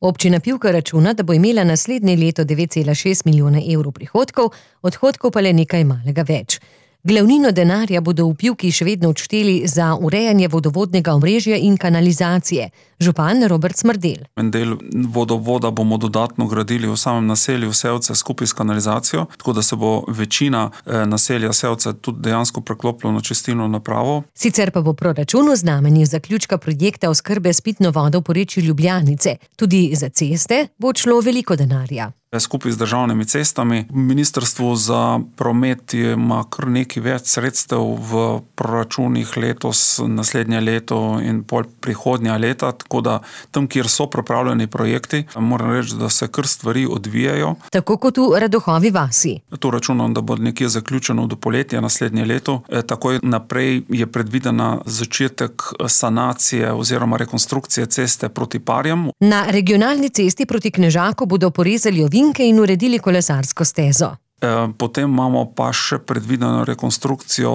Občina Pivka računa, da bo imela naslednje leto 9,6 milijona evrov prihodkov, odhodkov pa le nekaj malega več. Glavnino denarja bodo v Pivki še vedno odšteli za urejanje vodovodnega omrežja in kanalizacije. Župan Robert Smrdelj. En del vodovoda bomo dodatno gradili v samem naselju Sevce skupaj s kanalizacijo, tako da se bo večina naselja Sevce tudi dejansko preklopilo na čistilno napravo. Sicer pa bo proračun v znamenju zaključka projekta oskrbe s pitno vodo v porečju Ljubljanice. Tudi za ceste bo šlo veliko denarja. Skupaj z državnimi cestami. Ministrstvo za promet ima kar nekaj več sredstev v proračunih letos, naslednje leto in pol prihodnja leta, tako da tam, kjer so pripravljeni projekti, moram reči, da se kar stvari odvijajo. Tako kot v Radohovi vasi. To računam, da bo nekje zaključeno do poletja naslednje leto. Takoj naprej je predvidena začetek sanacije oziroma rekonstrukcije ceste proti Parjam. Na regionalni cesti proti Knežaku bodo porezali ovinke in uredili kolesarsko stezo. Potem imamo pa še predvideno rekonstrukcijo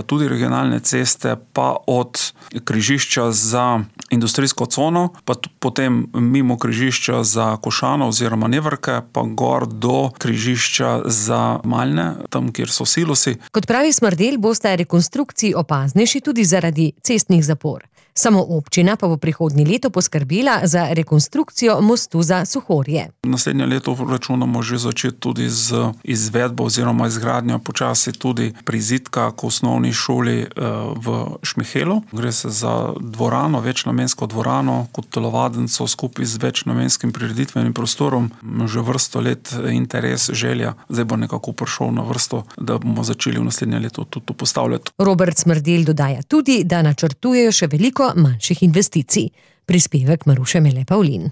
tudi regionalne ceste, pa od križišča za industrijsko cono, pa potem mimo križišča za Košano oziroma Nevrke, pa gor do križišča za Malne, tam, kjer so silosi. Kot pravi Smrdelj, bosta rekonstrukciji opaznejši tudi zaradi cestnih zapor. Samo občina pa bo prihodnje leto poskrbela za rekonstrukcijo mostu za Suhorje. Naslednje leto računamo že začeti tudi z izvedbo oziroma izgradnjo počasi tudi prizidka k osnovni šoli v Šmihelu. Gre se za dvorano, večnamensko dvorano, kot telovadnico skupaj z večnamenskim prireditvenim prostorom. Že vrsto let interes, želja, zdaj bo nekako prišel na vrsto, da bomo začeli v naslednje leto tudi to postavljati. Robert Smrdelj dodaja tudi, da načrtujejo še veliko manjših investicij. Prispevek Maruše Mele Pavlin.